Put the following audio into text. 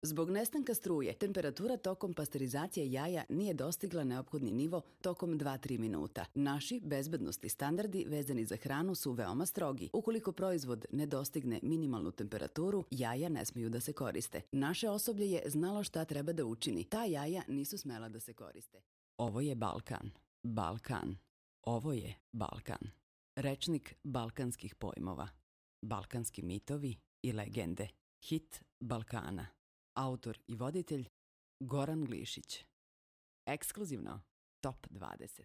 Zbog nestanka struje, temperatura tokom pasterizacije jaja nije dostigla neophodni nivo tokom 2-3 minuta. Naši bezbednosni standardi vezani za hranu su veoma strogi. Ukoliko proizvod ne dostigne minimalnu temperaturu, jaja ne smeju da se koriste. Naše osoblje je znalo šta treba da učini. Ta jaja nisu smela da se koriste. Ovo je Balkan. Balkan. Ovo je Balkan. Rečnik balkanskih pojmova. Balkanski mitovi i legende. Hit Balkana. Autor i voditelj Goran Glišić. Ekskluzivno Top 20.